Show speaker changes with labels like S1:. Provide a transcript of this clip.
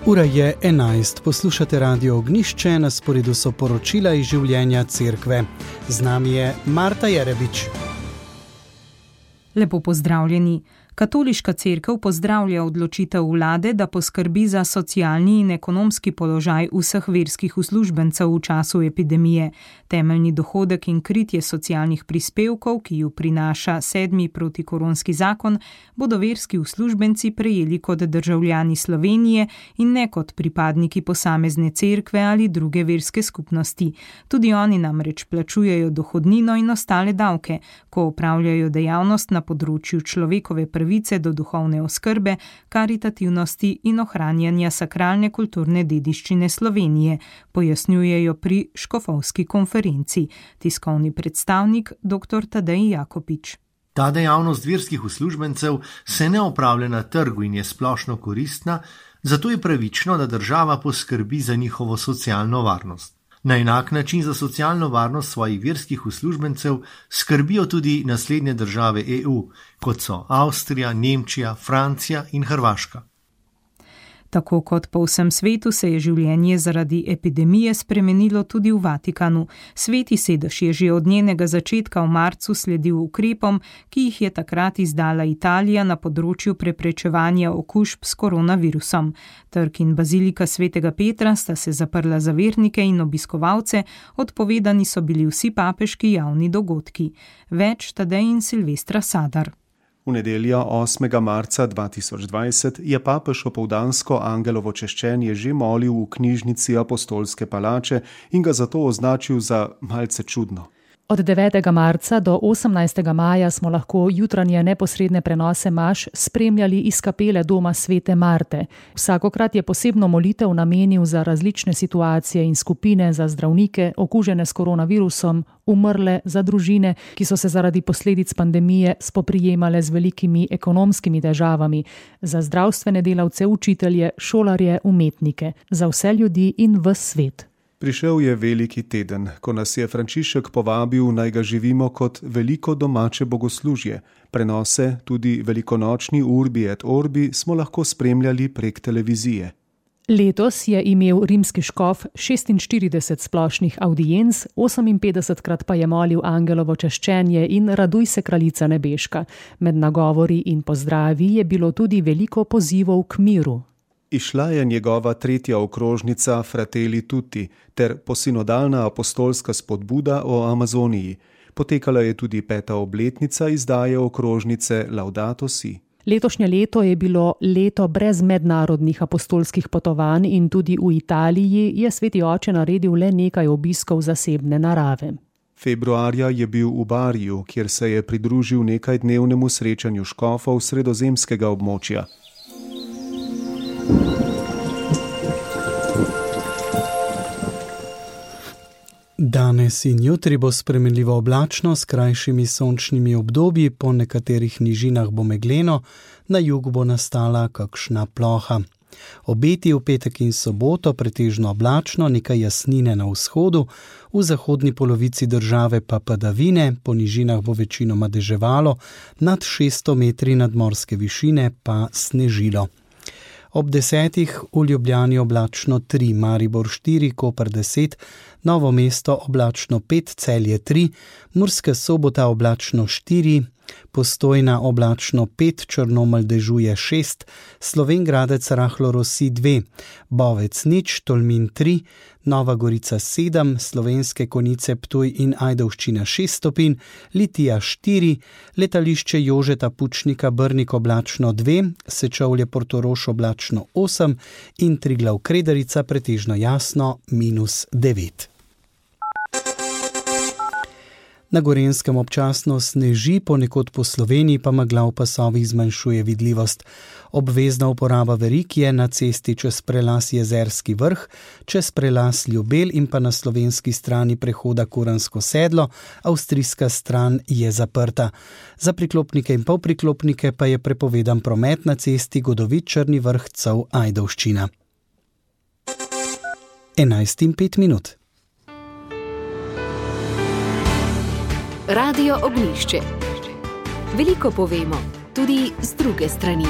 S1: Ura je 11, poslušate Radio Ognjišče, na sporedu so poročila iz življenja cerkve. Z nami je Marta Jerebič.
S2: Lepo pozdravljeni. Katoliška cerkev pozdravlja odločitev vlade, da poskrbi za socialni in ekonomski položaj vseh verskih uslužbencev v času epidemije. Temeljni dohodek in kritje socialnih prispevkov, ki ju prinaša 7. protikoronski zakon, bodo verski uslužbenci prejeli kot državljani Slovenije in ne kot pripadniki posamezne cerkve ali druge verske skupnosti. Tudi oni namreč plačujejo dohodnino in ostale davke, ko opravljajo dejavnost na področju človekove pravice do duhovne oskrbe, karitativnosti in ohranjanja sakralne kulturne dediščine Slovenije, pojasnjujejo pri škofovski konferenci. Tiskovni predstavnik dr. Tadej Jakopič.
S3: Ta dejavnost verskih uslužbencev se ne opravlja na trgu in je splošno koristna, zato je pravično, da država poskrbi za njihovo socialno varnost. Na enak način za socialno varnost svojih verskih uslužbencev skrbijo tudi naslednje države EU, kot so Avstrija, Nemčija, Francija in Hrvaška.
S2: Tako kot po vsem svetu se je življenje zaradi epidemije spremenilo tudi v Vatikanu. Sveti sedež je že od njenega začetka v marcu sledil ukrepom, ki jih je takrat izdala Italija na področju preprečevanja okužb s koronavirusom. Trg in bazilika svetega Petra sta se zaprla za vernike in obiskovalce, odpovedani so bili vsi papeški javni dogodki. Več Tadej in Silvestra Sadar.
S4: V nedeljo 8. marca 2020 je papež opoldansko angelovo češčenje že molil v knjižnici Apostolske palače in ga zato označil za malce čudno.
S5: Od 9. marca do 18. maja smo lahko jutranje neposredne prenose maš spremljali iz kapele doma Svete Marte. Vsakokrat je posebno molitev namenil za različne situacije in skupine, za zdravnike, okužene s koronavirusom, umrle, za družine, ki so se zaradi posledic pandemije spoprijemale z velikimi ekonomskimi težavami, za zdravstvene delavce, učitelje, šolarje, umetnike, za vse ljudi in ves svet.
S4: Prišel je veliki teden, ko nas je Frančišek povabil, naj ga živimo kot veliko domače bogoslužje. Prenose, tudi velikonočni Urbi et Orbi, smo lahko spremljali prek televizije.
S5: Letos je imel rimski škof 46 splošnih audienc, 58krat pa je molil angelovo češčenje in Raduj se, kraljica nebeška. Med nagovori in pozdravi je bilo tudi veliko pozivov k miru.
S4: Išla je njegova 3. okrožnica Fratelli Tutti ter posinodalna apostolska spodbuda o Amazoniji. Potekala je tudi 5. obletnica izdaje okrožnice Laudato Si.
S5: Letošnje leto je bilo leto brez mednarodnih apostolskih potovanj in tudi v Italiji je sveti oče naredil le nekaj obiskov zasebne narave.
S4: Februarja je bil v Bariju, kjer se je pridružil nekajdnevnemu srečanju škofov sredozemskega območja.
S1: Danes in jutri bo spremenljivo oblačno s krajšimi sončnimi obdobji, po nekaterih nižinah bo megleno, na jugu bo nastala kakšna ploha. Obeti v petek in soboto pretežno oblačno, nekaj jasnine na vzhodu, v zahodni polovici države pa padavine, po nižinah bo večinoma deževalo, nad 600 metri nadmorske višine pa snežilo. Ob 10. v Ljubljani oblačno 3, Maribor 4, Koper 10, Novo mesto oblačno 5, Celje 3, Murska Sobota oblačno 4, Postojna oblačno 5, Črnomelj dežuje 6, Slovenj Gradec rahlo rosi 2, Bovec 0, Tolmin 3, Nova Gorica 7, Slovenske Konjice Ptuj in Ajdovščina 6 stopinj, Litija 4, Letališče Jožeta Pučnika Brnik oblačno 2, Sečovlje Portorož oblačno 8 in Triglav Kredarica pretežno jasno -9. Na Gorenjskem občasno sneži, ponekod po Sloveniji pa megla v pasovih zmanjšuje vidljivost. Obvezna uporaba verig je na cesti čez prelaz Jezerski vrh, čez prelaz Ljubelj in pa na slovenski strani prehoda Kuransko sedlo, avstrijska stran je zaprta. Za priklopnike in polpriklopnike pa je prepovedan promet na cesti Godovit Črni vrh Cov Ajdovščina. 11:05.
S6: Radio Ognjišče. Veliko povemo, tudi z druge strani.